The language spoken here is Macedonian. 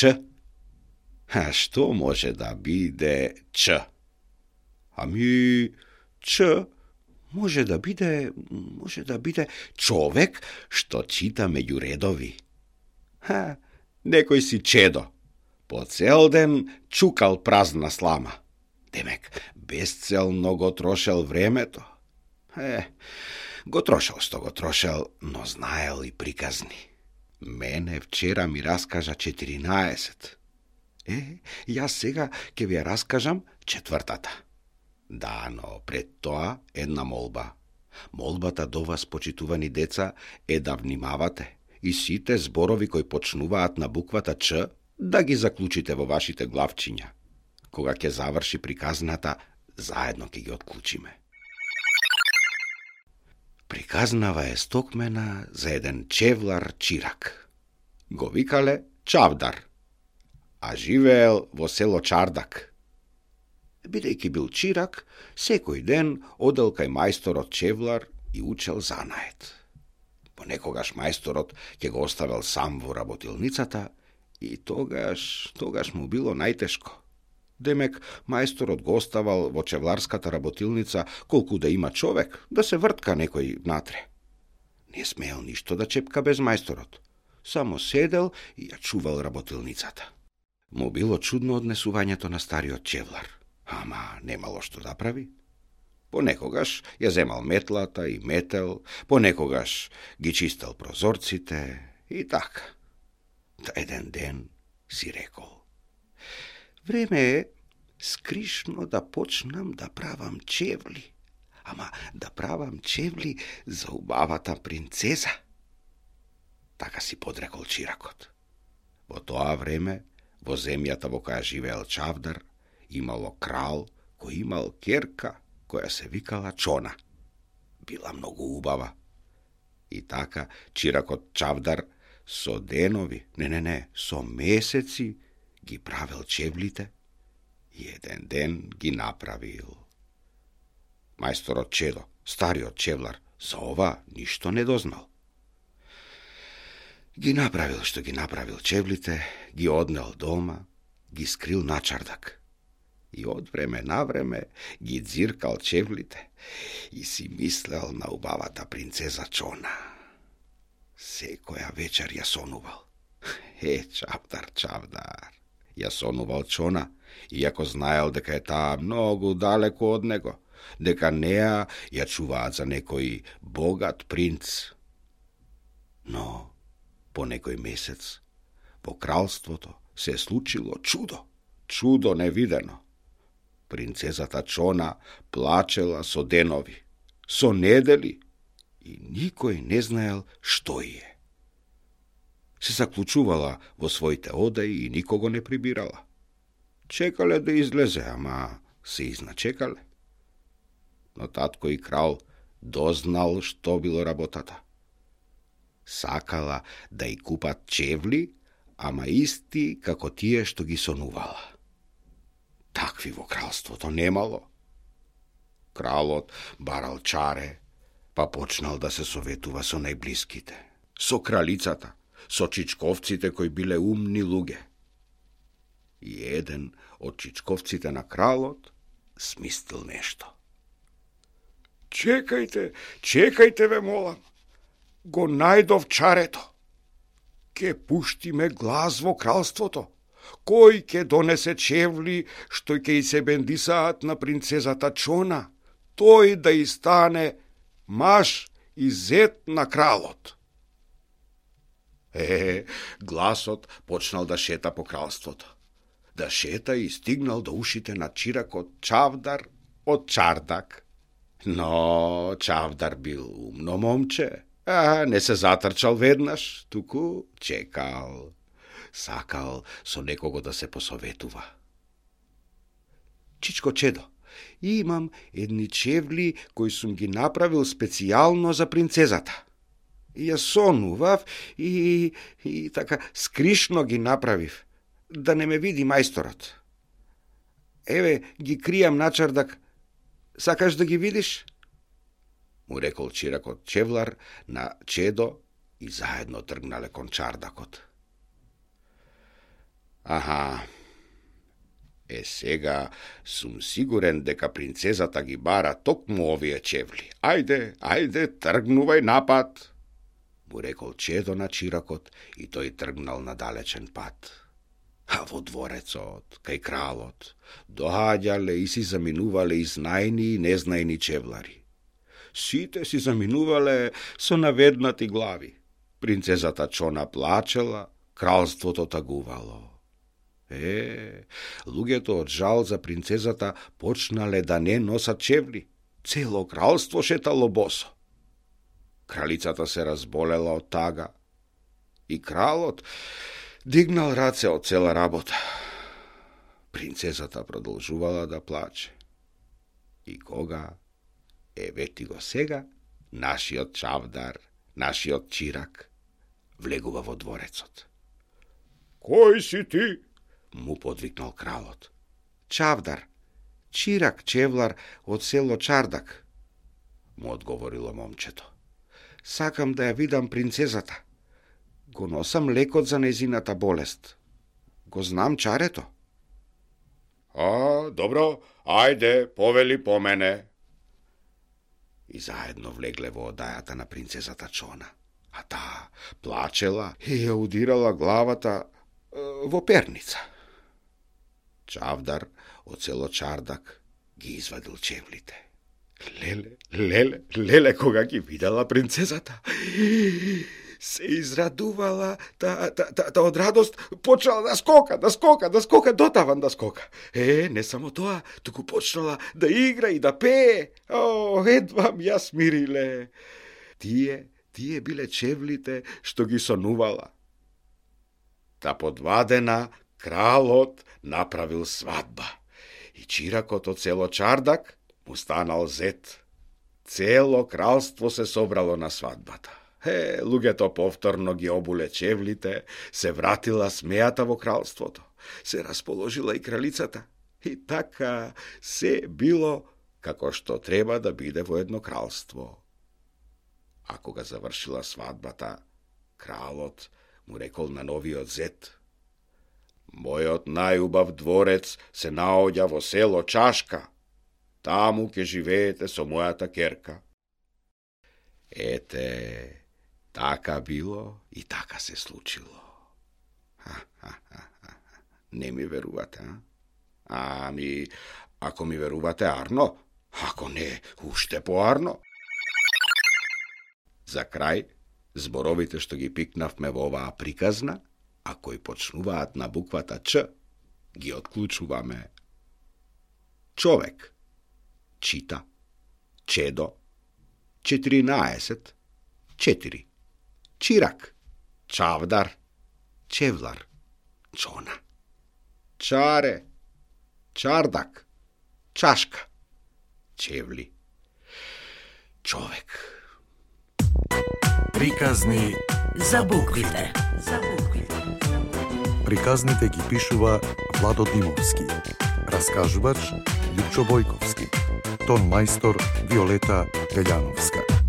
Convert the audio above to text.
Ч? А што може да биде Ч? Ами, Ч може да биде човек што чита меѓу редови. Некој си чедо. По цел ден чукал празна слама. Демек, безцелно го трошел времето. Го трошел што го трошел, но знаел и приказни. Мене вчера ми раскажа 14. Јас сега ќе ви ја раскажам 4-та. Да, но пред тоа една молба. Молбата до вас, почитувани деца, е да внимавате и сите зборови кои почнуваат на буквата Ч да ги заклучите во вашите главчиња. Кога ќе заврши приказната, заедно ќе ги отклучиме. Приказнава е стокмена за еден чевлар чирак. Го викале Чавдар, а живеел во село Чардак. Бидејќи бил чирак, секој ден одел кај мајсторот чевлар и учел занаед. Понекогаш мајсторот ќе го оставил сам во работилницата и тогаш му било најтешко. Демек, мајсторот го оставал во чевларската работилница колку да има човек, да се вртка некој внатре. Не смеел ништо да чепка без мајсторот. Само седел и ја чувал работилницата. Му било чудно однесувањето на стариот чевлар, ама немало што да прави. Понекогаш ја земал метлата и метел, понекогаш ги чистел прозорците и така. Еден ден си рекол: време е скришно да почнам да правам чевли, ама да правам чевли за убавата принцеза. Така си подрекол чиракот. Во тоа време, во земјата во која живеел Чавдар, имало крал кој имал керка која се викала Чона. Била многу убава. И така чиракот Чавдар со денови, со месеци ги правил чевлите и еден ден ги направил. Мајсторот Чедо, стариот чевлар, за ова ништо не дознал. Ги направил што ги направил чевлите, ги однел дома, ги скрил на чардак. И од време на време ги дзиркал чевлите и си мислел на убавата принцеза Чона. Секоја вечер ја сонувал. Чавдар, ја сонувал Чона, иако знаел дека е таа многу далеко од него, дека неа ја чуваат за некој богат принц. Но по некој месец во кралството се случило чудо невидено. Принцезата Чона плачела со денови, со недели и никој не знаел што е. Се заклучувала во своите одеи и никого не прибирала. Чекале да излезе, ама се изначекале. Но татко и крал дознал што било работата. Сакала да и купат чевли, ама исти како тие што ги сонувала. Такви во кралството немало. Кралот барал чаре, па почнал да се советува со најблиските, со кралицата, со чичковците кои биле умни луѓе. И еден од чичковците на кралот смистил нешто. Чекајте ве молам, го најдов чарето. Ке пуштиме глас во кралството. Кој ке донесе чевли што ќе и се бендисаат на принцезата Чона, тој да и стане маж и зет на кралот. Гласот почнал да шета по кралството. Да шета и стигнал до ушите на чиракот Чавдар од Чардак. Но Чавдар бил умно момче, не се затрчал веднаш, туку чекал. Сакал со некого да се посоветува. Чичко Чедо, имам едни чевли кои сум ги направил специјално за принцезата. И ја сонував и така скришно ги направив, да не ме види мајсторот. Еве, ги кријам на чардак. Сакаш да ги видиш? Му рекол чиракот чевлар на Чедо и заедно тргнале кон чардакот. Аха. Сега сум сигурен дека принцезата ги бара токму овие чевли. Ајде, тргнувај напад, му рекол Чедо на Чиракот и тој тргнал на далечен пат. А во дворецот, кај кралот, доаѓале и си заминувале и знајни и незнајни чевлари. Сите си заминувале со наведнати глави. Принцезата Чона плачела, кралството тагувало. Луѓето од жал за принцезата почнале да не носат чевли. Цело кралство шетало босо. Кралицата се разболела од тага и кралот дигнал раце од цела работа. Принцезата продолжувала да плаче. И кога, вети го сега, нашиот Чавдар, нашиот Чирак, влегува во дворецот. Кој си ти? Му подвикнал кралот. Чавдар, Чирак чевлар од село Чардак, му одговорило момчето. Сакам да ја видам принцезата. Го носам лекот за незината болест. Го знам чарето. Добро, ајде, повели по мене. И заедно влегле во одајата на принцезата Чона. А таа плачела и ја удирала главата во перница. Чавдар од село Чардак ги извадил чевлите. Леле, кога ги видела принцезата, се израдувала, од радост почнала да скока, дотаван да скока. Не само тоа, туку почнала да игра и да пее. Едвам ја смириле. Тие биле чевлите што ги сонувала. Та подвадена, кралот направил свадба. И Чиракот од село Чардак му станал зет. Цело кралство се собрало на свадбата. Луѓето повторно ги обуле чевлите, се вратила смејата во кралството, се расположила и кралицата. И така се било како што треба да биде во едно кралство. А кога завршила свадбата, кралот му рекол на новиот зет: Мојот најубав дворец се наоѓа во село Чашка. Таму ќе живеете со мојата керка. Така било и така се случило. Не ми верувате, а? Ако ми верувате арно, ако не, уште поарно. За крај, зборовите што ги пикнавме во оваа приказна, а кои почнуваат на буквата Ч, ги отклучуваме. Човек, чита, Чедо, 14, 4. Чирак, Чавдар, Чевлар, Чона. Чаре, Чардак, Чашка, Чевли, човек. Приказни за буквите. Приказните ги пишува Владо Димовски. Раскажувач Лјупчо Бојковски. Тон мајстор Виолета Гаљановска.